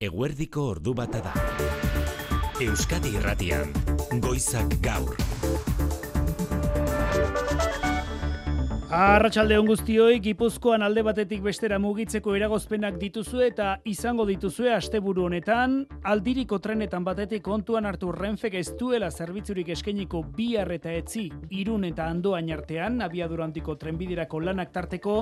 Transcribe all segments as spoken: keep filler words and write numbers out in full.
Eguerdiko ordu bata da. Euskadi Irratian, Goizak Gaur. Arratsalde on guztioi, Gipuzkoan alde batetik bestera mugitzeko eragozpenak dituzue eta izango dituzue asteburu honetan, aldiriko trenetan batetik kontuan hartu Renfek ez duela zerbitzurik eskainiko Bihar eta Etzi, Irun eta Andoain artean, abiadura handiko trenbiderako lanak tarteko,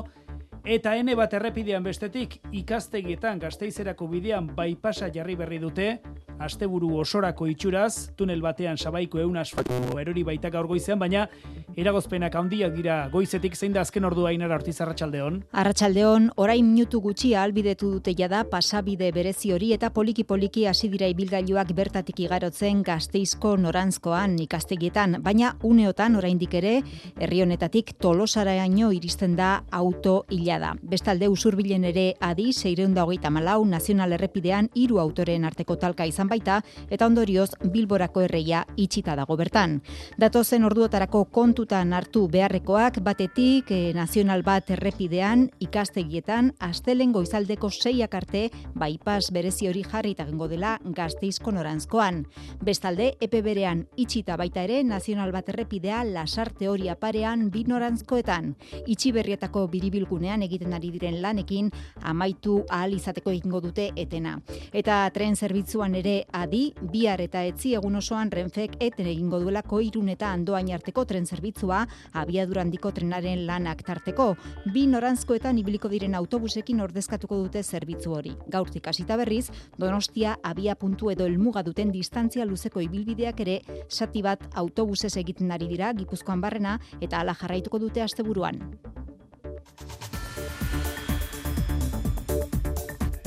eta ene bat errepidean bestetik ikastegietan Gasteizerako bidean bypassa jarri berri dute, asteburu osorako itxuraz, tunel batean Sabaiko ehun asfalto erori baita gaur goizean, baina eragozpenak handiak dira goizetik. Zein da azken ordua, Ainara Ortiz, arratsaldeon? Arratsaldeon, orain minutu gutxi ahalbidetu dute jada pasabide berezi hori eta poliki-poliki hasi dira ibilgailuak bertatik igarotzen Gasteizko noranzkoan ikastegietan, baina uneotan oraindik ere herri honetatik Tolosaraino iristen da auto ilada. Bestalde usurbilen ere adi seiehun eta hogeita hamalau nazional errepidean hiru autoren arteko talka izan baita eta ondorioz Bilborako erreia itxita dago bertan. Datozen orduotarako kontutan hartu beharrekoak batetik eh, nazional bat errepidean ikastegietan astelen goizaldeko seiak arte bypass berezi hori jarrita egingo dela Gasteizko noranzkoan. Bestalde epe berean itxita baita ere nazional bat errepidea Lasarte Oria parean bi noranzkoetan. Itxi berrietako biribilgunean egiten ari diren lanekin amaitu ahal izateko egingo dute etena. Eta tren zerbitzuan ere adi, Bihar eta Etzi egun osoan Renfek eten egingo duelako Irun eta Andoain arteko tren zerbitzua abiadura handiko trenaren lanak tarteko. Bi noranzkoetan ibiliko diren autobusekin ordezkatuko dute zerbitzu hori. Gaurtik hasita berriz, Donostia abia puntu edo helmuga duten distantzia luzeko ibilbideak ere zati bat autobusez egiten ari dira Gipuzkoan barrena eta hala jarraituko dute asteburuan.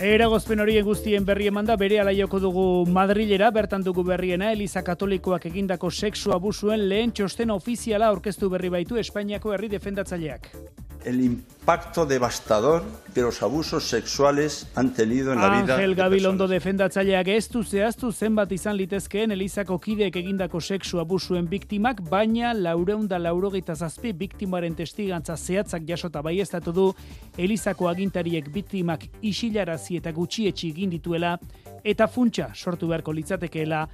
Eragozpen horien guztien berri emanda berehala joko dugu Madrilera, bertan dugu berriena Eliza Katolikoak egindako sexu abusuen lehen txosten ofiziala aurkeztu berri baitu Espainiako herri defendatzaileak. El impacto devastador que los abusos sexuales han tenido en la vida. Ángel Gabilondo defendatzaileak ez du zehaztu zenbat izan litezkeen Elizako kideek egindako sexu abusuen biktimak, baina laurehun eta laurogeita zazpi biktimaren testigantza zehatzak jasota baieztatu du Elizako agintariek biktimak isilarazi eta gutxietsi egin dituela eta funtsa sortu beharko litzatekeela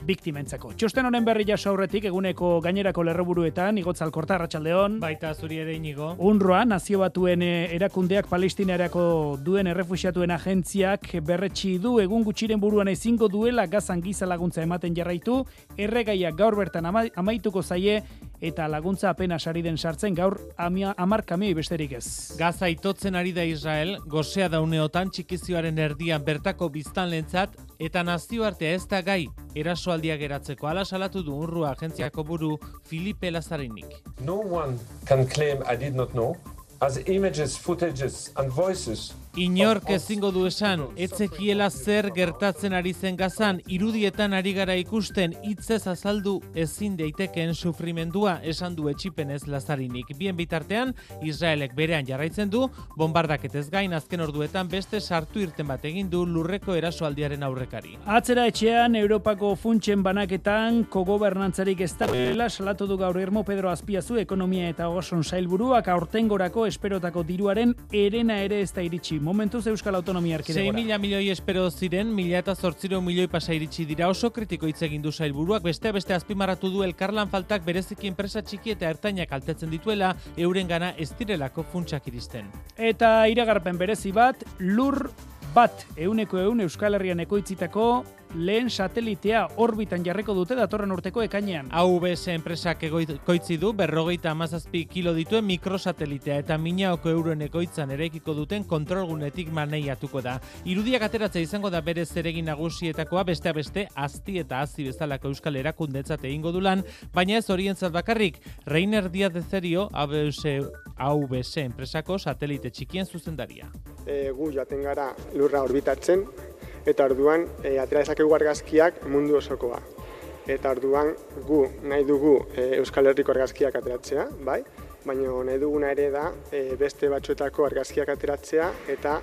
biktimentzako. Txosten honen berri jaso aurretik eguneko gainerako lerroburuetan, Igotz Alkorta, arratsaldeon. Baita zuri ere, Inigo. UNRWA, nazio batuen erakundeak Palestinarako duen errefuxiatuen agentziak berretsi du egun gutxiren buruan ezingo duela Gazan giza laguntza ematen jarraitu, erregaiak gaur bertan ama, amaituko zaie eta laguntza apenas ari den sartzen gaur hamar kamioi besterik ez. Gaza itotzen ari da Israel, gosea da uneotan txikizioaren erdian bertako biztanlentzat eta nazioartea ez da gai erasoaldiak geratzeko. Hala salatu du UNRWA agentziako buru Filipe Lazarinik. No one can claim I did not know, as images, footages and voices. Inork ezingo du esan, etzekiela zer gertatzen ari zen Gazan, irudietan ari gara ikusten, hitzez azaldu ezin daitekeen sufrimendua, esan du etxipenez Lazarinik. Bien bitartean, Israelek berean jarraitzen du, bombardaketez gain azken orduetan beste sartu irten bat egin du lurreko erasoaldiaren aurrekari. Atzera etxean, Europako funtsen banaketan kogobernantzarik ez dagoela salatu du gaur Irmo Pedro Azpiazu, ekonomia eta ogasun sailburuak aurtengorako esperotako diruaren herena ere ez da iritsi. Momentuz Euskal Autonomia Erkidegora. sei mila milioi espero ziren, mila eta zortziehun milioi pasa iritsi dira. Oso kritiko hitz egin du sailburuak, beste beste azpimarratu du elkarlan faltak bereziki enpresa txiki eta ertainak kaltetzen dituela, eurengana ez direlako funtsak iristen. Eta iragarpen berezi bat, lur bat ehuneko ehun Euskal Herrian ekoitzitako lehen satelitea orbitan jarriko dute datorren urteko ekainean. A V S enpresak ekoitzi du berrogeita hamazazpi kilo dituen mikrosatelitea eta minaoko euroen ekoitzan eraikiko duten kontrolgunetik maneiatuko da. Irudiak ateratzea izango da bere zeregin nagusietakoa, beste beste azti eta hazi bezalako euskal erakundetzat egingo du lan, baina ez horientzat bakarrik. Reiner Díaz de Cerio, A V S enpresako satelite txikien zuzendaria. E, gu joaten gara lurra orbitatzen, eta orduan e, atera dezakegu argazkiak mundu osokoa. Eta orduan gu nahi dugu e, Euskal Herriko argazkiak ateratzea, bai? Baina nahi duguna ere da e, beste batzuetako argazkiak ateratzea eta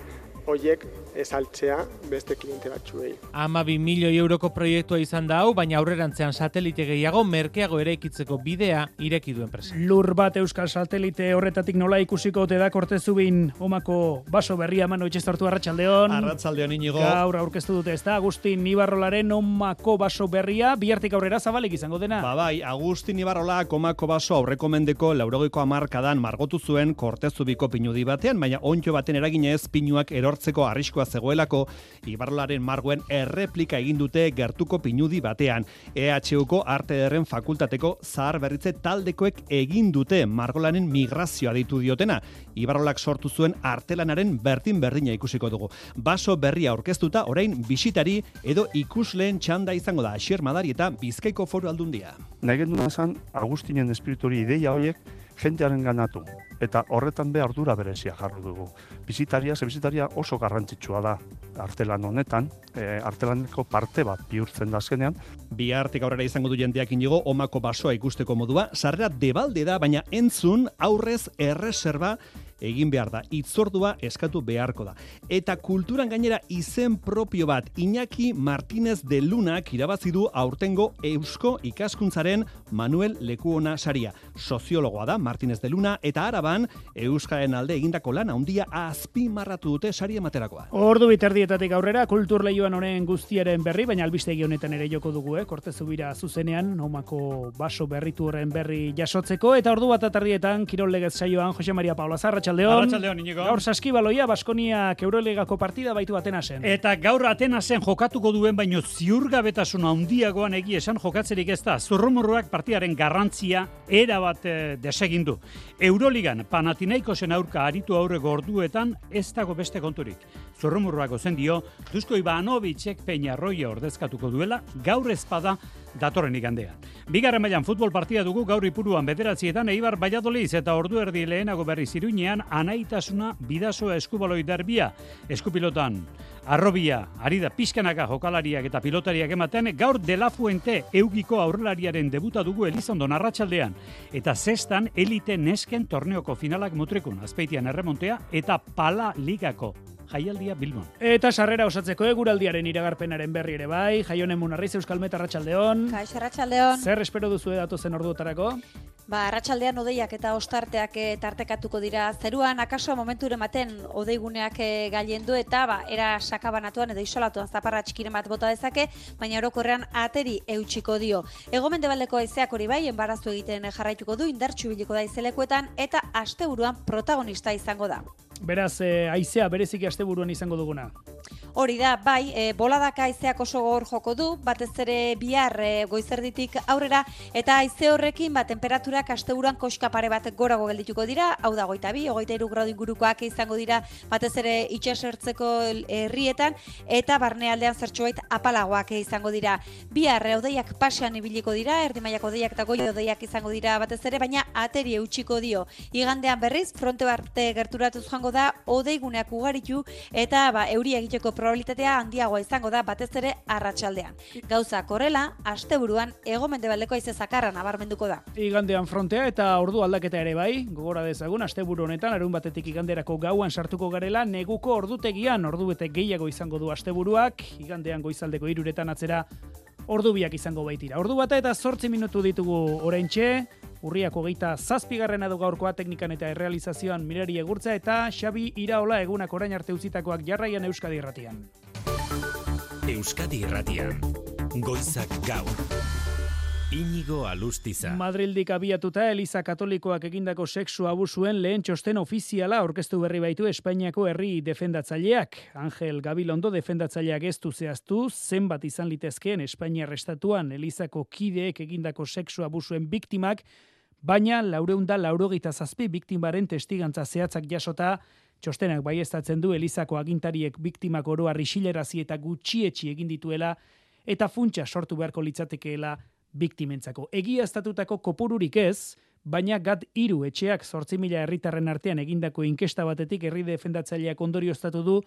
horiek saltzea beste kliente batzuei. Hamabi milioi euroko proiektua izan da hau, baina aurrerantzean satelite gehiago merkeago eraikitzeko bidea ireki du enpresa. Lur bat euskal satelite horretatik nola ikusiko ote da Kortezubin omako baso berria Manu Etxestortu arratsaldeon. Arratsaldeon Inigo. Gaur aurkeztu dute ezta Agustin Ibarrolaren omako baso berria, bihartik aurrera zabalik izango dena. Ba bai, Agustin Ibarrolak omako baso aurreko mendeko laurogeiko hamarkadan margotu zuen Kortezubiko pinudi batean, baina onddo baten eraginez pinuak erortzeko arriskua zegoelako, Ibarrolaren margoen erreplika egin dute gertuko pinudi batean. E H Uko Arte Ederren Fakultateko zahar berritze taldekoek egin dute margolanen migrazioa ditu diotena. Ibarrolak sortu zuen artelanaren bertin berdina ikusiko dugu. Baso berria aurkeztuta orain bisitari edo ikusleen txanda izango da Asier Madari eta Bizkaiko Foru Aldundia. Nahi genduna esan Agustinen espiritori ideia horiek jentearen ganatu. Eta horretan be ardura berezia jarru dugu. Bizitaria, ze bizitaria oso garrantzitsua da artelan honetan, e, artelaneko parte bat bihurtzen da azkenean. Bihartik aurrera izango du jendeak inigo omako basoa ikusteko modua, sarrera debalde da, baina entzun aurrez erreserba egin behar da, itzordua eskatu beharko da. Eta kulturan gainera izen propio bat, Iñaki Martínez de Lunak irabazi du aurtengo Eusko Ikaskuntzaren Manuel Lekuona saria. Soziologoa da Martínez de Luna eta Araban euskaren alde egindako lan handia azpimarratu dute sari ematerakoa. Ordu biterdietatik aurrera kultur leioan honen guztiaren berri, baina albistegi honetan ere joko dugu, eh? Kortezubira zuzenean, omako baso berritu horren berri jasotzeko, eta ordu bat atardietan Kirol Legez saioan Jose Maria Paula Zarra Arratsaldeon, Inigo. Gaur saskibaloia Baskoniak Euroligako partida baitu Atenasen. Eta gaur Atenasen jokatuko duen baino ziurgabetasuna handiagoan egia esan jokatzerik ez da. Zurrumurruak partidaren garrantzia erabat e, desegindu. Euroligan Panathinaikosen aurka aritu aurreko orduetan ez dago beste konturik. Zurrumurruak ozen dio, Dusko Ivanovicek Peñarroia ordezkatuko duela, gaur ezpada datorren igandean. Bigarren mailan futbol partida dugu gaur Ipuruan bederatzietan Eibar Valladolid eta ordu erdi lehenago berriz Iruñean Anaitasuna Bidasoa Eskubaloi derbia. Eskupilotan Arrobia, ari da pixkanaka jokalariak eta pilotariak ematen, gaur De La Fuente Eugiko aurrelariaren debuta dugu Elizondon arratsaldean. Eta zestan elite nesken torneoko finalak Mutrikun, Azpeitian erremontea eta Pala Ligako jaialdia Bilbon. Eta sarrera osatzeko eguraldiaren iragarpenaren berri ere bai, Jaionen Munarriz Euskalmet arratsaldeon. Kaixo arratsaldeon. Zer espero duzu datozen orduotarako? Ba, arratsaldean hodeiak eta ostarteak e, tartekatuko dira zeruan, akaso momenture ematen hodeiguneak e, gailendu eta ba, era sakabanatuan edo isolatuan zaparra txikiren bat bota dezake, baina orokorrean ateri eutxiko dio. Egomendebaldeko haizeak hori bai, enbarazu egiten jarraituko du, indartsu biliko da izelekuetan eta asteburuan protagonista izango da. Beraz, e, haizea bereziki asteburuan izango duguna. Hori da, bai, e, boladaka haizeak oso gogor joko du, batez ere bihar e, goizerditik aurrera, eta haize horrekin ba, temperaturak asteburuan koska pare bat gorago geldituko dira, hau da goita bi, hogeita hiru gradu ingurukoak izango dira, batez ere itsasertzeko herrietan, eta barnealdean zertxoait apalagoak izango dira. Bihar hodeiak pasean ibiliko dira, erdi mailako hodeiak eta goi hodeiak izango dira batez ere, baina ateri eutxiko dio. Igandean berriz, fronte barte gerturatuz joango da, hodeiguneak ugaritu, eta ba, euria egiteko probabilitatea handiagoa izango da batez ere arratsaldean. Gauza korrela, asteburuan hego-mendebaldeko haize zakarra nabarmenduko da. Igandean frontea eta ordu aldaketa ere bai, gogora dezagun asteburu honetan larun batetik iganderako gauan sartuko garela, neguko ordutegian ordu bete gehiago izango du asteburuak, igandean goizaldeko hiruretan atzera ordu biak izango baitira. Ordu bata eta zortzi minutu ditugu oraintxe, urriako geita zazpigarrena du gaurkoa teknikan eta errealizazioan Mirari Egurtza eta Xabi Iraola egunak orain arte utzitakoak jarraian Euskadi Irratian. Euskadi Irratian, goizak gaur. Inigo Alustiza. Madrildik abiatuta Eliza Katolikoak egindako sexu abusuen lehen txosten ofiziala aurkeztu berri baitu Espainiako herri defendatzaileak. Angel Gabilondo defendatzaileak ez du zehaztu zenbat izan litezkeen Espainiar estatuan Elizako kideek egindako sexu abusuen biktimak, baina laurehun eta laurogeita zazpi biktimaren testigantza zehatzak jasota, txostenak baieztatzen du Elizako agintariek biktimak oro har isilarazi eta gutxietsi egin dituela eta funtsa sortu beharko litzatekeela biktimentzako. Egiaztatutako kopururik ez, baina gat hiru etxeak zortzi mila herritarren artean egindako inkesta batetik herri defendatzaileak ondorioztatu du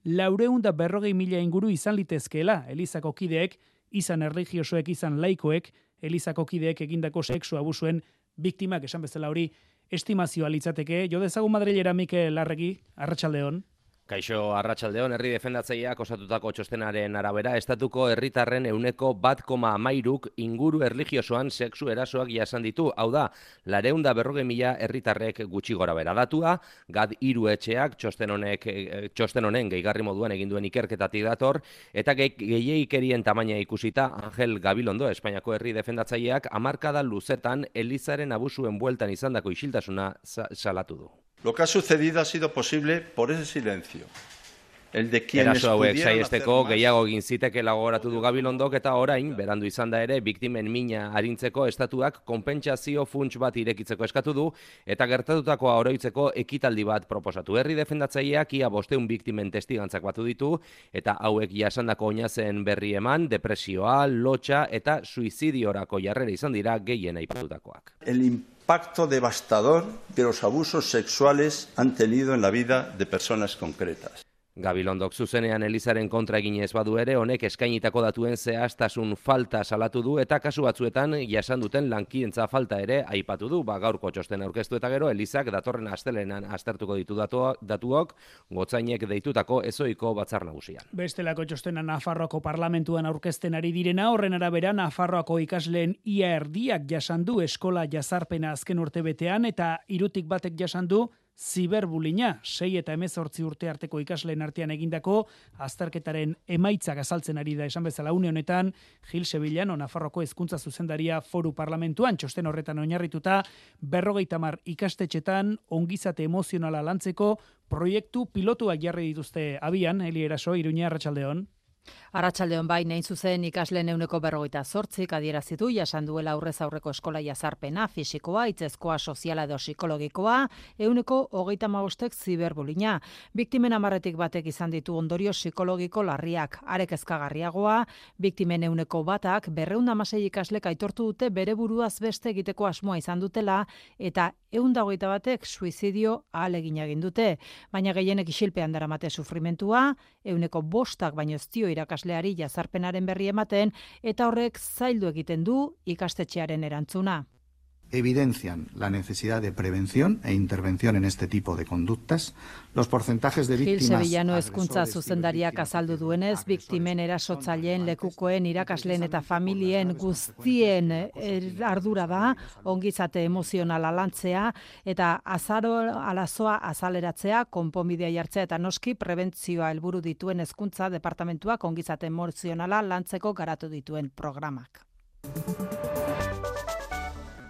laurehun eta berrogei mila inguru izan litezkeela Elizako kideek, izan erlijiosoek, izan laikoek, Elizako kideek egindako sexu abusuen biktimak, esan bezala hori estimazioa litzateke. Jo dezagun Madrilera Mikel Larregi, arratsaldeon. Kaixo, arratsaldeon, herri defendatzaileak osatutako txostenaren arabera, estatuko herritarren euneko bat koma hamairuk inguru erlijiosoan sexu erasoak jasan ditu. Hau da, lareunda berroge mila herritarrek gutxi gora bera datua, gad hiru etxeak txosten honek txosten honen gehigarri moduan egin duen ikerketatik dator, eta gehiegikerien tamaina ikusita, Angel Gabilondo, Espainiako herri defendatzaileak, hamarkada luzetan Elizaren abusuen bueltan izandako isiltasuna salatu du. Lo que ha sucedido ha sido posible por ese silencio. El de quienes Eraso hauek pudieron saiesteko hacer más. gehiago egin zitekela gogoratu du Gabilondok eta orain, berandu izan da ere, biktimen mina arintzeko estatuak konpentsazio funts bat irekitzeko eskatu du eta gertatutakoa oroitzeko ekitaldi bat proposatu. Herri defendatzaileak ia bosteun biktimen testigantzak batu ditu eta hauek jasandako oinazen berri eman, depresioa, lotxa eta suizidiorako jarrera izan dira gehien aipatutakoak. El impacto devastador que los abusos sexuales han tenido en la vida de personas concretas. Gabilondok zuzenean Elizaren kontra eginez badu ere, honek eskainitako datuen zehaztasun falta salatu du eta kasu batzuetan jasan duten lankientza falta ere aipatu du. Ba, gaurko txosten aurkeztu eta gero, Elizak datorren astelenan aztertuko ditu datu- datuok, gotzainek deitutako ezoiko batzar nagusian. Bestelako txostena Nafarroako parlamentuan aurkezten ari direna, horren arabera Nafarroako ikasleen ia erdiak jasan du eskola jazarpena azken urtebetean eta hirutik batek jasan du ziberbulina, sei eta hemezortzi urte arteko ikasleen artean egindako azterketaren emaitzak azaltzen ari da esan bezala une honetan Gil Sevillano, Nafarroko hezkuntza zuzendaria foru parlamentuan, txosten horretan oinarrituta berrogeita hamar ikastetxetan ongizate emozionala lantzeko proiektu pilotuak jarri dituzte abian, Eli Eraso, Iruña, arratsaldeon. Arratsaldeon bai, nahin zuzen ikasleen euneko berrogeita zortzik adierazitu jasan duela aurrez aurreko eskola jazarpena, fisikoa, hitzezkoa, soziala edo psikologikoa, euneko hogeita hamabostek ziberbulina. Biktimen hamarretik batek izan ditu ondorio psikologiko larriak, arek ezkagarriagoa, biktimen euneko batak berreunda hamasei ikaslek aitortu dute bere buruaz beste egiteko asmoa izan dutela eta eunda hogeita batek suizidio ahalegin egin dute, baina gehienek isilpean daramate sufrimentua, euneko bostak baino ez dio irakasleari jazarpenaren berri ematen eta horrek zaildu egiten du ikastetxearen erantzuna. Evidencian la necesidad de prevención e intervención en este tipo de conductas. Los porcentajes de víctimas... Gil Sevillano hezkuntza zuzendariak azaldu duenez, biktimen erasotzaileen, lekukoen, irakasleen eta familien guztien ardura da, ongizate emozionala lantzea eta azaro alazoa azaleratzea, konponbidea jartzea eta noski prebentzioa helburu dituen hezkuntza departamentuak ongizate emozionala lantzeko garatu dituen programak.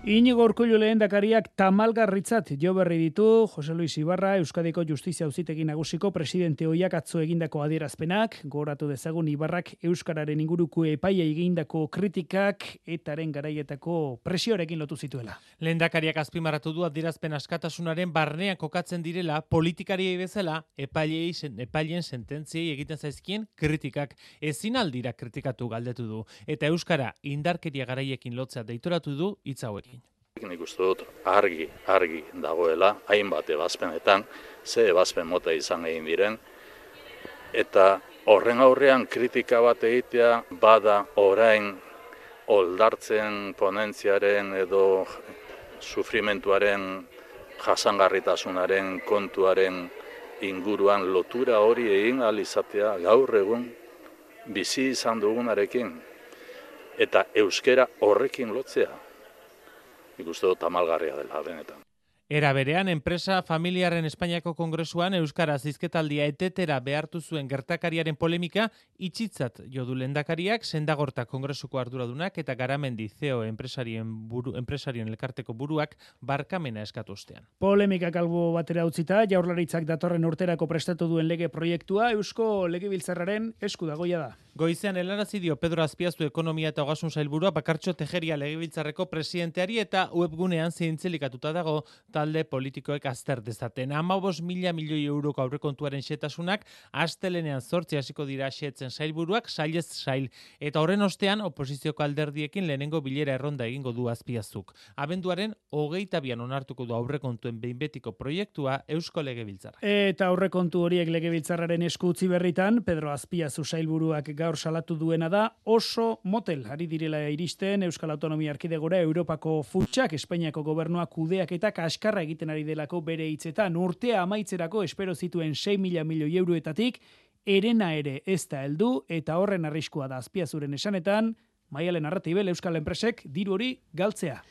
Inigo Urkullu lehendakariak tamalgarritzat jo berri ditu Jose Luis Ibarra, Euskadiko Justizia Auzitegi Nagusiko presidente ohiak atzo egindako adierazpenak, gogoratu dezagun Ibarrak euskararen inguruko epaia egindako kritikak etaren garaietako presioarekin lotu zituela. Lehendakariak azpimarratu du adierazpen askatasunaren barnean kokatzen direla politikariei bezala epailei epailen sententziei egiten zaizkien kritikak ezin aldira kritikatu galdetu du eta euskara indarkeria garaiekin lotzea deitoratu du hitz hauekin. Nik uste dut argi, argi dagoela, hainbat ebazpenetan, ze ebazpen mota izan egin diren, eta horren aurrean kritika bat egitea bada orain oldartzen ponentziaren edo sufrimentuaren jasangarritasunaren kontuaren inguruan lotura hori egin ahal izatea gaur egun bizi izan dugunarekin eta euskera horrekin lotzea. Ikuste dut tamalgarria dela benetan. Era berean, enpresa familiaren Espainiako Kongresuan euskaraz hizketaldia etetera behartu zuen gertakariaren polemika itxitzat jo du lehendakariak, Sendagorta Kongresuko arduradunak eta Garamendi C E O enpresarien buru, enpresarien elkarteko buruak barkamena eskatu ostean. Polemikak albo batera utzita, Jaurlaritzak datorren urterako prestatu duen lege proiektua Eusko Legebiltzarraren esku dagoia da. Goizean helarazi dio Pedro Azpiazu Ekonomia eta Ogasun Sailburua Bakartxo Tejeria Legebiltzarreko presidenteari eta webgunean zintzelikatuta dago talde politikoek azter dezaten. Hamabost mila milioi euroko aurrekontuaren xetasunak astelenean zortzi hasiko dira xetzen sailburuak sailez sail. Eta horren ostean oposizioko alderdiekin lehenengo bilera erronda egingo du Azpiazuk. Abenduaren hogeita bian onartuko du aurrekontuen behin betiko proiektua Eusko Legebiltzarra. Eta aurrekontu horiek Legebiltzarraren esku utzi berritan, Pedro Azpiazu sailburuak gaur salatu duena da oso motel ari direla iristen Euskal Autonomia Erkidegora Europako futsak Espainiako gobernuak kudeak eta kaska kaskarra egiten ari delako bere hitzetan. Urtea amaitzerako espero zituen sei mila milioi euroetatik, erena ere ez da heldu eta horren arriskua da Azpiazuren esanetan, Maialen Arratibel Euskal Enpresek diru hori galtzea.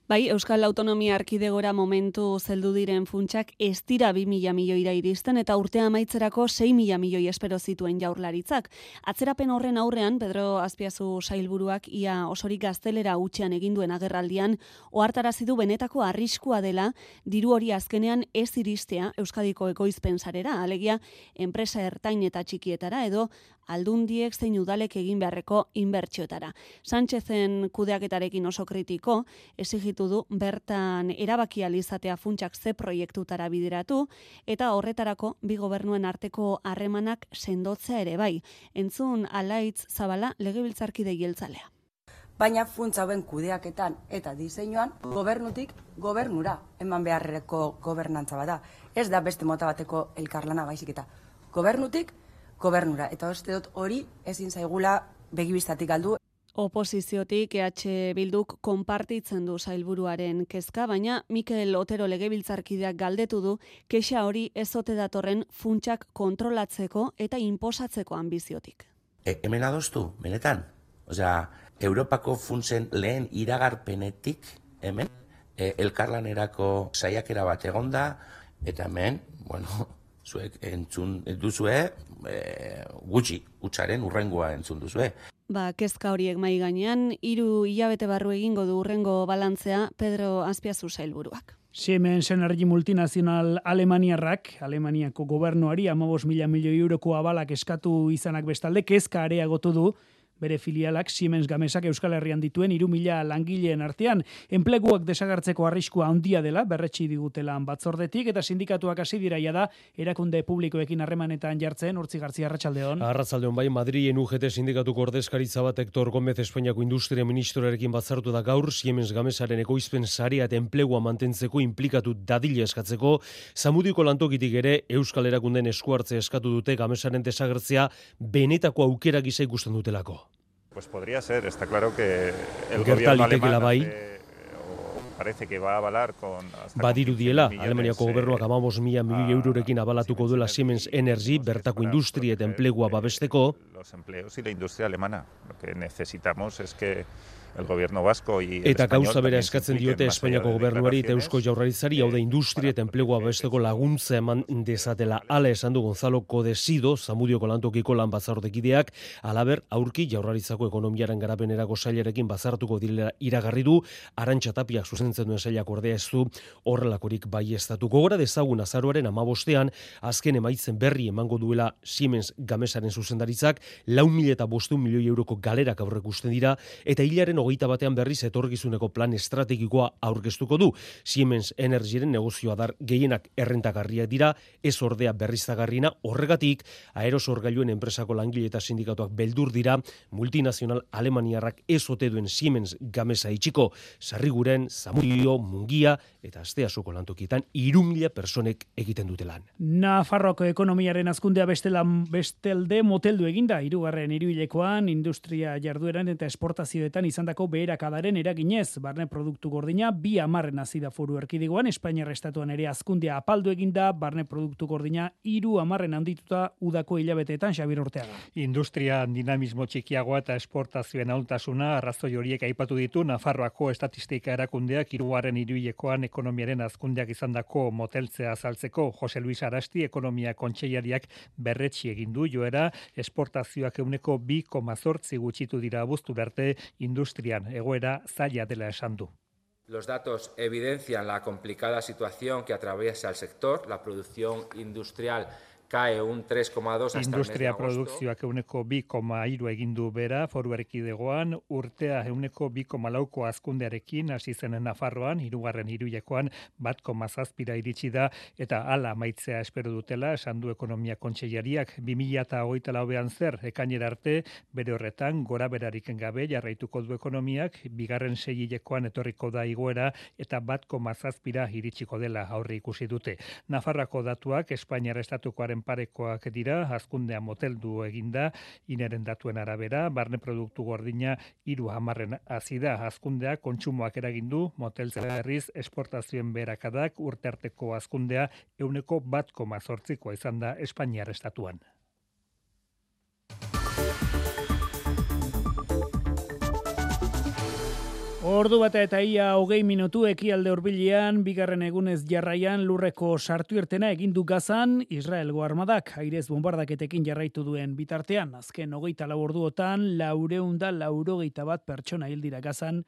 Bai, Euskal Autonomia Erkidegora momentu zeldu diren funtsak ez dira bi mila milioira iristen eta urtea amaitzerako sei mila milioi espero zituen Jaurlaritzak. Atzerapen horren aurrean, Pedro Azpiazu sailburuak ia osorik gaztelera hutsean egin duen agerraldian ohartarazi du benetako arriskua dela diru hori azkenean ez iristea Euskadiko ekoizpen sarera, alegia enpresa ertain eta txikietara edo aldundiek zein udalek egin beharreko inbertsioetara. Sánchezen kudeaketarekin oso kritiko, exigitu du bertan erabaki ahal izatea funtsak ze proiektutara bideratu eta horretarako bi gobernuen arteko harremanak sendotzea ere bai. Entzun Alaitz Zabala legebiltzarkide jeltzalea. Baina funtsa hauen kudeaketan eta diseinuan gobernutik gobernura eman beharreko gobernantza bada. Ez da beste mota bateko elkarlana baizik eta gobernutik gobernura. Eta uste dut hori ezin zaigula begibistatik galdu. Oposiziotik E H Bilduk konpartitzen du sailburuaren kezka, baina Mikel Otero legebiltzarkideak galdetu du kexa hori ez ote datorren funtsak kontrolatzeko eta inposatzeko ambiziotik. E, hemen adostu, benetan. Osea, Europako funtsen lehen iragarpenetik hemen e, elkarlanerako saiakera bat egonda eta hemen, bueno, zuek entzun duzue, e, gutxi, hutsaren urrengoa entzun duzue. Ba, kezka horiek mai gainean, hiru hilabete barru egingo du urrengo balantzea Pedro Azpiazu sailburuak. Siemens Energy multinazional Alemaniarrak, Alemaniako gobernuari hamabost mila milioi euroko abalak eskatu izanak bestalde, kezka areagotu du bere filialak Siemens Gamesak Euskal Herrian dituen hiru mila langileen artean. Enpleguak desagertzeko arriskua handia dela, berretsi digutela batzordetik, eta sindikatuak hasi diraia da, erakunde publikoekin harremanetan jartzen, Urtzi Gartzia, arratsaldeon. Arratsaldeon bai, Madrilen U G T sindikatuko ordezkaritza bat Hector Gómez Espainiako Industria Ministroarekin batzartu da gaur, Siemens Gamesaren ekoizpen sarea eta enplegua mantentzeko inplikatu dadila eskatzeko, Zamudioko lantokitik ere Euskal Erakundeen eskuartze eskatu dute Gamesaren desagertzea benetako aukera gisa ikusten dutelako. Pues podría ser, está claro que el Gerta gobierno litekeela alemán bai. hace, parece que va a avalar con hasta Badiru con diela, millones, Alemaniako gobernuak hamabost mila milioi eurorekin abalatuko duela Siemens Energy bertako industria eta enplegua babesteko. los empleos y la industria alemana. Lo que necesitamos es que el gobierno vasco y el Eta español gauza bera también se eskatzen impliquen diote más allá Espainiako de gobernuari eta declaraciones. Eusko Jaurlaritzari, hau da industria eta enplegua babesteko laguntza eman dezatela. Hala esan du Gonzalo Codesido, Zamudioko lantokiko lan batzordekideak, halaber aurki Jaurlaritzako ekonomiaren garapenerako sailarekin batzartuko direla iragarri du, Arantxa Tapiak zuzentzen duen sailak ordea ez du horrelakorik baieztatu. Gogora dezagun azaroaren hamabostean azken emaitzen berri emango duela Siemens Gamesaren zuzendaritzak, lau mila eta bostehun milioi euroko galerak aurrekusten dira, eta hilaren hogeita batean berriz etorkizuneko plan estrategikoa aurkeztuko du. Siemens Energyren negozioa dar gehienak errentagarriak dira, ez ordea berriztagarriena, horregatik aerosorgailuen enpresako langile eta sindikatuak beldur dira, multinazional alemaniarrak ez ote duen Siemens Gamesa itxiko, Sarriguren, Zamudio, Mungia eta Asteasuko lantokietan hiru mila personek egiten dute lan. Nafarroako ekonomiaren hazkundea bestelan bestelde moteldu eginda, hirugarren hiruhilekoan industria jardueran eta esportazioetan izandako beherakadaren eraginez, barne produktu gordina bi hamarren hasi da Foru Erkidegoan, Espainiar estatuan ere hazkundea apaldu eginda, barne produktu gordina hiru hamarren handituta udako hilabeteetan. Xabier Urteaga. Industria dinamismo txikiagoa eta esportazioen ahultasuna arrazoi horiek aipatu ditu Nafarroako estatistika erakundeak hirugarren hiruhilekoan ekonomiaren hazkundeak izandako moteltzea azaltzeko. Jose Luis Arasti ekonomia kontseilariak berretsi egin du joera, esportazioak ehuneko bi koma zortzi gutxitu dira abuztura arte, industrian egoera zaila dela esan du. Los datos evidencian la complicada situación que atraviesa el sector. La producción industrial cae un tres koma dos hasta Industria el mes de agosto. produkzioak ehuneko bi koma hiru egin du bera Foru Erkidegoan, urtea ehuneko bi koma lauko hazkundearekin hasi zen Nafarroan, hirugarren hiruhilekoan bat koma zazpira iritsi da eta hala amaitzea espero dutela, esan du ekonomia kontseilariak. bi mila hogeita lauean zer ekainera arte, bere horretan gora berarik gabe jarraituko du ekonomiak, bigarren seihilekoan etorriko da igoera eta bat koma zazpira iritsiko dela aurre ikusi dute. Nafarroako datuak Espainiar estatukoaren hazkundearen parekoak dira, hazkundea moteldu eginda, ineren datuen arabera, barne produktu gordina hiru hamarren hazi da, hazkundea kontsumoak eragindu, moteltzea berriz esportazioen berakadak urtearteko hazkundea ehuneko bat koma zortzikoa izan da Espainiar estatuan. Ordu bata eta ia hogei minutu ekialde hurbilean, bigarren egunez jarraian lurreko sartu irtena egindu Gazan, Israelgo armadak airez bombardaketekin jarraitu duen bitartean. Azken hogeita lau orduotan, laureun da laurogeita bat pertsona hil dira Gazan,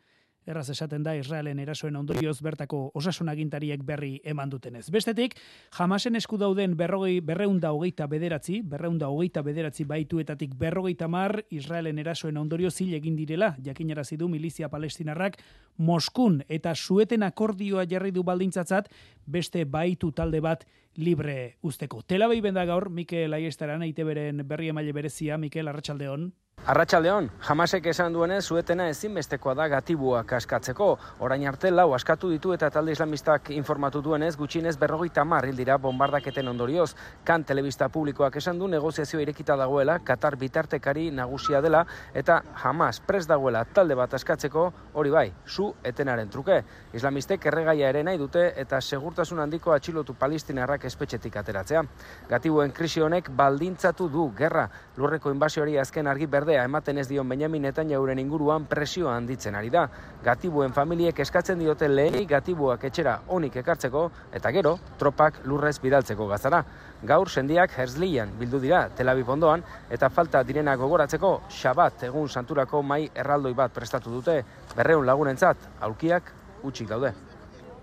erraz esaten da Israelen erasoen ondorioz bertako osasun agintariek berri eman dutenez. Bestetik, Hamasen esku dauden berrogei, berreunda hogeita bederatzi, berreunda hogeita bederatzi baituetatik berrogeita mar, Israelen erasoen ondorioz hil egin direla, jakinarazi du milizia palestinarrak Moskun eta Sueten akordioa jarri du baldintzatzat, beste baitu talde bat libre usteko. Tel Aviv da gaur, Mikel Aiestaran, I T Bren berri emaile berezia, Mikel, arratsaldeon. Arratsaldeon, Hamasek esan duenez Suetena ezinbestekoa da gatibuak askatzeko. Orain arte lau askatu ditu eta talde islamistak informatu duenez gutxienez berrogeita hamar hil dira bombardaketen ondorioz. Kan telebista publikoak esan du negoziazio irekita dagoela, Katar bitartekari nagusia dela eta Hamas prest dagoela talde bat askatzeko, hori bai, su etenaren truke. Islamistek erregaia ere nahi dute eta segurtasun handiko atxilotu palestinarrak espetxetik ateratzea. Gatibuen krisi honek baldintzatu du gerra. Lurreko inbasioari azken argi berde ematen ez dion Benjamin Netanyahuren inguruan presioa handitzen ari da. Gatibuen familiek eskatzen diote lehenik gatibuak etxera onik ekartzeko eta gero tropak lurrez bidaltzeko Gazara. Gaur sendiak Herzlian bildu dira Tel Aviv ondoan eta falta direna gogoratzeko Shabat egun santurako mai erraldoi bat prestatu dute. Berreun lagunentzat aulkiak utxik daude.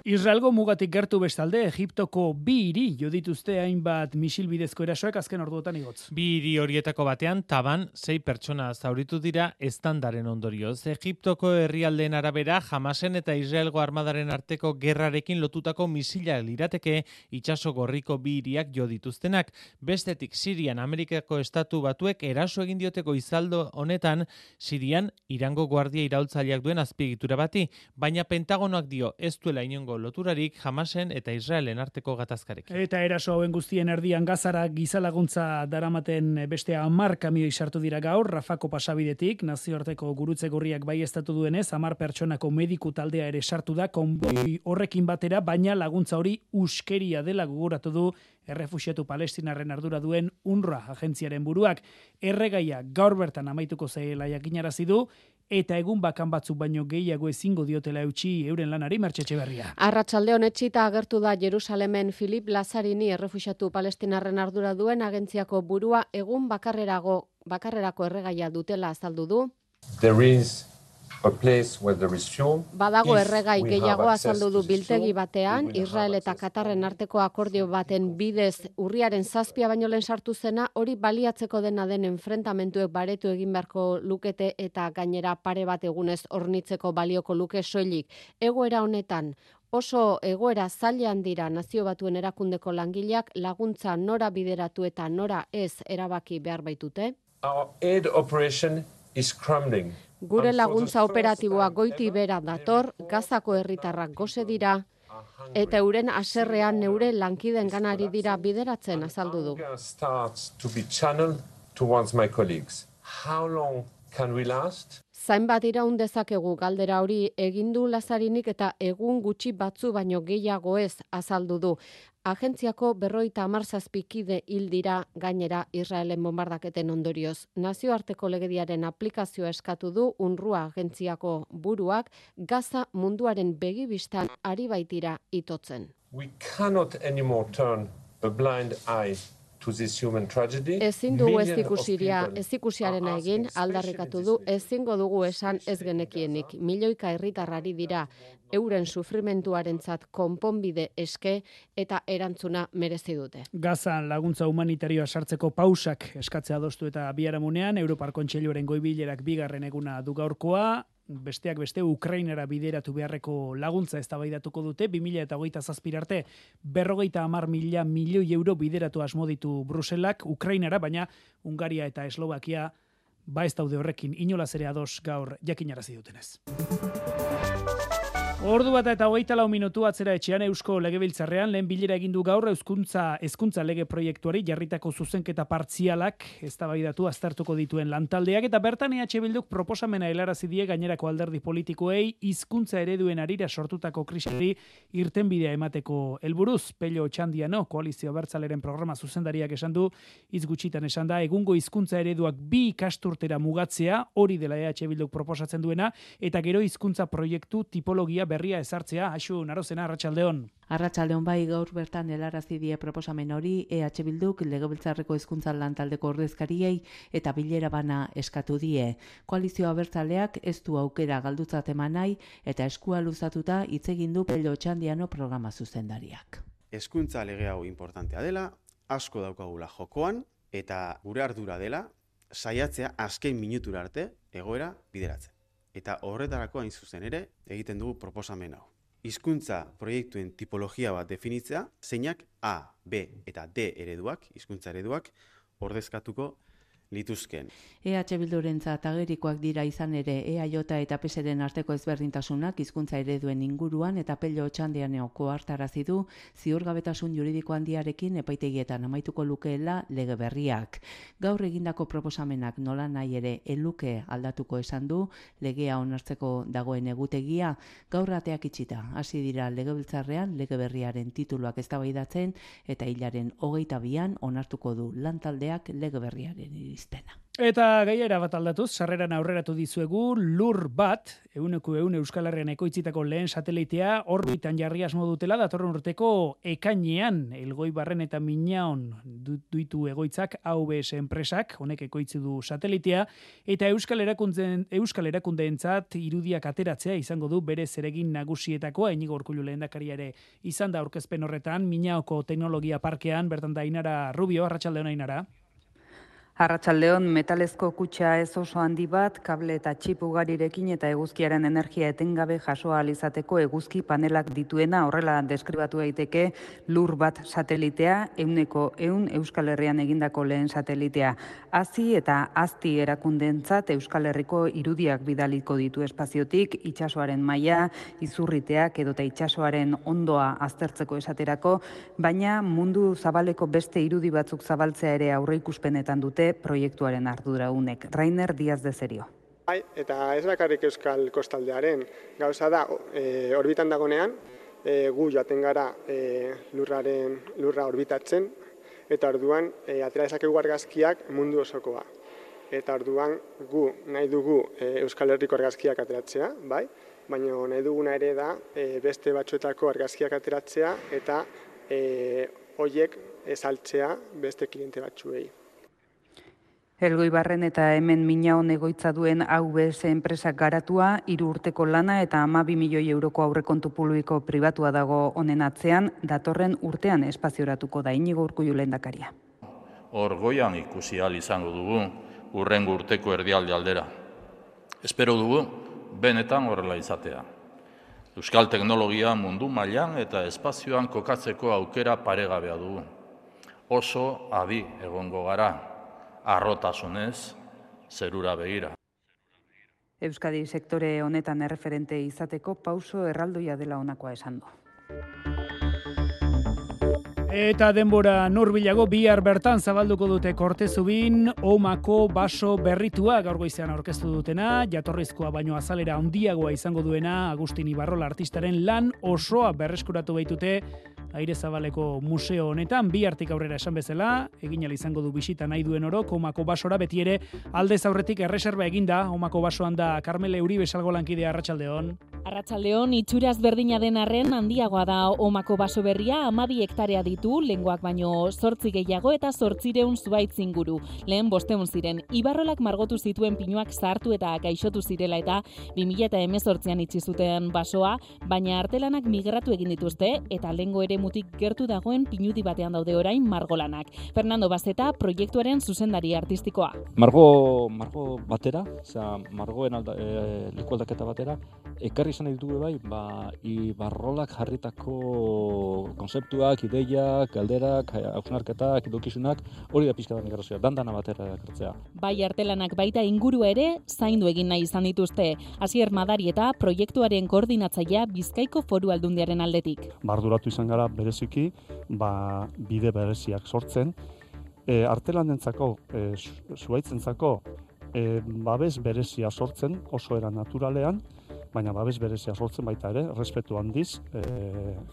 Israelgo mugatik gertu bestalde, Egiptoko bi hiri jo dituzte hainbat misil bidezko erasoek azken orduotan igotz. Bi hiri horietako batean, Taban, sei pertsona zauritu dira estandaren ondorioz. Egiptoko herrialdeen arabera, Hamasen eta Israelgo armadaren arteko gerrarekin lotutako misila lirateke itsaso gorriko bi hiriak jo dituztenak. Bestetik, Sirian, Amerikako estatu batuek eraso egin dioteko izaldo honetan, Sirian, Irango guardia iraultzaileak duen azpiegitura bati, baina Pentagonoak dio ez duela inongo loturarik Hamasen eta Israelen arteko gatazkarekin. Eta eraso hauen guztien erdian Gazara gizalaguntza daramaten beste hamar kamioi sartu dira gaur, Rafako pasabidetik, nazioarteko gurutze gorriak baieztatu duenez, hamar pertsonako mediku taldea ere sartu da, konboi horrekin batera, baina laguntza hori uskeria dela gogoratu du errefuxiatu palestinarren ardura duen UNRWA agentziaren buruak. Erregaia gaur bertan amaituko zela jakinarazi du, eta egun bakan batzuk baino gehiago ezingo diotela eutxi euren lanari Mertxe Etxeberria. Arratsalde honetxita agertu da Jerusalemen Filip Lazarini errefuxiatu palestinarren ardura duen agentziako burua egun bakarrerago bakarrerako erregaia dutela azaldu du. There is a place where there is fuel. Badago If erregai we gehiago have access azaldu du to this biltegi fuel, batean, we will Israel eta Katarren arteko akordio baten bidez urriaren zazpia baino lehen sartu zena, hori baliatzeko dena den enfrentamentuek baretu egin beharko lukete eta gainera pare bat egunez hornitzeko balioko luke soilik. Egoera honetan, oso egoera zailean dira Nazio Batuen erakundeko langileak laguntza nora bideratu eta nora ez erabaki behar baitute. Our aid operation is crumbling. Gure laguntza operatiboa goiti bera dator, Gazako herritarrak gose dira, eta euren haserrean neure lankiden ganari dira bideratzen azaldu du. Starts to be channeled towards my colleagues. How long can we last? Zainbat iraun dezakegu galdera hori egin du Lazarinik eta egun gutxi batzu baino gehiago ez azaldu du. Agentziako berroita hamar zazpikide hil dira gainera Israelen bombardaketen ondorioz. Nazioarteko legediaren aplikazioa eskatu du UNRWA agentziako buruak Gaza munduaren begibistan ari baitira itotzen. We cannot anymore turn a blind eye to this human tragedy. Ezin dugu ez Millions of ikusiria, people ez ikusiarena are egin, asking, aldarrikatu du, ezingo dugu esan ez genekienik. Milioika herritarrari dira, euren sufrimentuarentzat konponbide eske eta erantzuna merezi dute. Gazan laguntza humanitarioa sartzeko pausak eskatzea adostu eta biharamunean, Europar Kontseiluaren goi-bilerak bigarren eguna du gaurkoa, besteak beste Ukrainara bideratu beharreko laguntza eztabaidatuko dute, bi mila hogeita zazpi arte berrogeita hamar mila milioi euro bideratu asmo ditu Bruselak Ukrainara, baina Hungaria eta Eslovakia ba ez daude horrekin inolaz ere ados gaur jakinarazi dutenez. Ordu bat eta hogeita lau minutu atzera etxean Eusko Legebiltzarrean lehen bilera egin du gaur Euskuntza hezkuntza lege proiektuari jarritako zuzenketa partzialak eztabaidatu aztertuko dituen lantaldeak eta bertan E H Bilduk proposamena helarazi die gainerako alderdi politikoei hizkuntza ereduen arira sortutako krisiari irtenbidea emateko helburuz. Pello Otxandiano Koalizio Abertzaleren programa zuzendariak esan du, hitz gutxitan esan da, egungo hizkuntza ereduak bi ikasturtera mugatzea, hori dela E H Bilduk proposatzen duena, eta gero hizkuntza proiektu tipologia berria ezartzea. Aixu Narozena, Arratsaldeon. Arratsaldeon bai, gaur bertan helarazi die proposamen hori E H Bilduk Legebiltzarreko hezkuntza lantaldeko ordezkariei eta bilera bana eskatu die. Koalizio Abertzaleak ez du aukera galdutzat eman nahi eta eskua luzatuta hitz egin du Pello Otxandiano programa zuzendariak. Hezkuntza lege hau importantea dela, asko daukagula jokoan eta gure ardura dela saiatzea azken minutura arte egoera bideratzen. Eta horretarako hain zuzen ere egiten dugu proposamen hau. Hizkuntza proiektuen tipologia bat definitzea, zeinak A, B eta D ereduak, hizkuntza ereduak, ordezkatuko lituzken. E H Bildurentzat agerikoak dira izan ere E A J eta P Sren arteko ezberdintasunak hizkuntza ereduen inguruan eta Pello Otxandiano kohartarazi du ziurgabetasun juridiko handiarekin epaitegietan amaituko lukeela lege berriak. Gaur egindako proposamenak nola nahi ere eluke aldatuko esan du, legea onartzeko dagoen egutegia, gaur ateak itxita. Hasi dira Legebiltzarrean lege berriaren tituluak eztabaidatzen eta hilaren hogeita bian onartuko du lantaldeak lege berriaren izpena. Eta gaiera bat aldatuz, sarreran aurreratu dizuegu, lur bat, euneko eun Euskal Herrian ekoitzitako lehen satelitea, orbitan jarri asmo dutela, datorren urteko ekainean, Elgoibarren eta Minaon duitu egoitzak A V S enpresak, honek ekoitzi du satelitea, eta Euskal Erakundeen, Euskal Erakundeentzat irudiak ateratzea izango du bere zeregin nagusietakoa, Inigo Urkullu lehendakaria ere izan da aurkezpen horretan, Minaoko teknologia parkean, bertan da Ainara Rubio, Arratsaldeon Ainara. Arratsaldeon, metalezko kutxa ez oso handi bat, kable eta txip ugarirekin eta eguzkiaren energia etengabe jasoa ahal izateko eguzki panelak dituena, horrela deskribatu daiteke lur bat satelitea, euneko eun Euskal Herrian egindako lehen satelitea. Hazi eta azti erakundeentzat Euskal Herriko irudiak bidaliko ditu espaziotik, itsasoaren maila, izurriteak edota itsasoaren ondoa aztertzeko esaterako, baina mundu zabaleko beste irudi batzuk zabaltzea ere aurreikuspenetan dute proiektuaren arduradunek. Rainer Diaz de Serio. Bai, eta ez bakarrik Euskal Kostaldearen gauza da, e, orbitan dagonean, e, gu joaten gara e, lurraren lurra orbitatzen, eta orduan e, atera dezakegu argazkiak mundu osokoa. Eta orduan gu nahi dugu e, Euskal Herriko argazkiak ateratzea, bai? Baina nahi duguna ere da e, beste batzuetako argazkiak ateratzea eta e, hoiek ezaltzea beste kliente batzuei. Elgoibarren eta hemen Minaon egoitza duen A V S enpresak garatua, hiru urteko lana eta hamabi milioi euroko aurrekontu publiko pribatua dago honen atzean, datorren urtean espazioratuko da Inigo Urkullu lehendakaria. Hor goian ikusi ahal izango dugu hurrengo urteko erdialde aldera. Espero dugu benetan horrela izatea. Euskal teknologia mundu mailan eta espazioan kokatzeko aukera paregabea dugu. Oso adi egongo gara. Arrotasunez, zerura begira. Euskadi sektore honetan erreferente izateko pauso erraldoia dela honakoa esan du. Eta denbora nurbilago bihar bertan zabalduko dute Kortezubin Omako baso berritua gaur goizean aurkeztu dutena, jatorrizkoa baino azalera handiagoa izango duena Agustin Ibarrola artistaren lan osoa berreskuratu baitute Aire Zabaleko museo honetan, bi hartik aurrera esan bezala, egin ahal izango du bisita nahi duen orok Omako basora, beti ere aldez aurretik erreserba eginda, Omako basoan da Karmele Uribe salgo lankidea. Arratsaldeon. Arratsaldeon, itxuraz berdina den arren handiagoa da Omako baso berria, hamabi hektarea ditu, lengoak baino zortzi gehiago eta zortzireun zuhaitz inguru. Lehen bosteun ziren, Ibarrolak margotu zituen pinuak zahartu eta gaixotu zirela eta bi mila hemezortzian itxi zuten basoa, baina artelanak migratu egin dituzte eta lengo ere mutik gertu dagoen pinudi batean daude orain margolanak. Fernando Bazeta, proiektuaren zuzendari artistikoa. Margo, margo batera, osea, margoen alda, e, lekualdaketa batera, ekarri izan ditugu bai, ba, Ibarrolak jarritako konzeptuak, ideiak, galderak, hausnarketak, edokizunak, hori da pixka bat negrazioa, dandana batera ekartzea. Bai artelanak baita inguru ere zaindu egin nahi izan dituzte. Asier Madarieta proiektuaren koordinatzailea Bizkaiko Foru Aldundiaren aldetik. Arduratu izan gara bereziki, ba, bide bereziak sortzen, e, artelanentzako, e, zuaitzentzako, e, babes berezia sortzen, oso era naturalean, baina babes berezia sortzen baita ere, respetu handiz, e,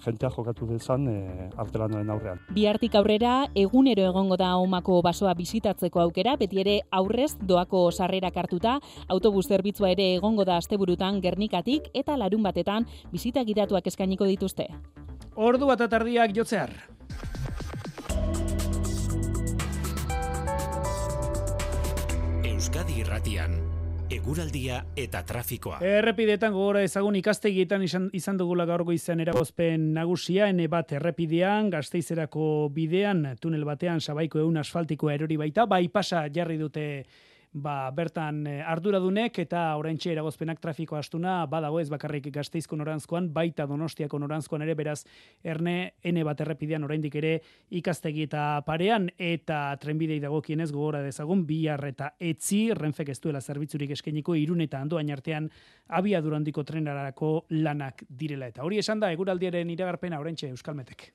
jentea jokatu dezan e, artelanaren aurrean. Bihartik aurrera, egunero egongo da Omako basoa bisitatzeko aukera, beti ere aurrez doako sarrerak hartuta, autobus zerbitzua ere egongo da asteburutan Gernikatik eta larun batetan bisita gidatuak eskainiko dituzte. Ordu bat atardiak jotzear. Euskadi Irratian, eguraldia eta trafikoa. Errepideetan gogora ezagun ikastegietan izan, izan dugula gaur goizean eragozpen nagusia, ene bat errepidean, Gasteizerako bidean, tunel batean sabaiko ehun asfaltikoa erori baita, bai pasa jarri dute ba, bertan arduradunek eta oraintxe eragozpenak trafiko astuna badago ez bakarrik Gasteizko noranzkoan, baita Donostiako noranzkoan ere, beraz erne ene bat errepidean oraindik ere ikastegi eta parean eta trenbidei dagokienez gogora dezagun bihar eta etzi Renfek ez duela zerbitzurik eskainiko Irun eta Andoain artean abiadura handiko trenarako lanak direla eta hori esan da eguraldiaren iragarpena oraintxe Euskalmetek.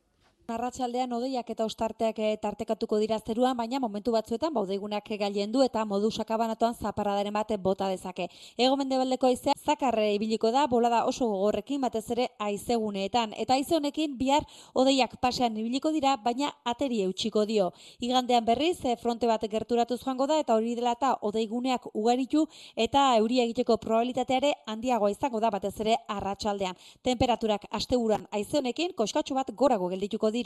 Arratsaldean hodeiak eta ostarteak tartekatuko dira zeruan, baina momentu batzuetan baudeigunak gailendu eta modu sakabanatuan zaparradaren bate bota dezake. Hego-mendebaldeko haizea zakarre ibiliko da, bolada oso gogorrekin batez ere haizeguneetan. Eta haize honekin bihar hodeiak pasean ibiliko dira, baina ateri eutxiko dio. Igandean berriz fronte bat gerturatuz joango da eta hori dela eta hodeiguneak ugaritu eta euria egiteko probabilitateare handiagoa izango da batez ere arratsaldean. Temperaturak asteburuan haize honekin koskatxo bat gorago geldituko dira.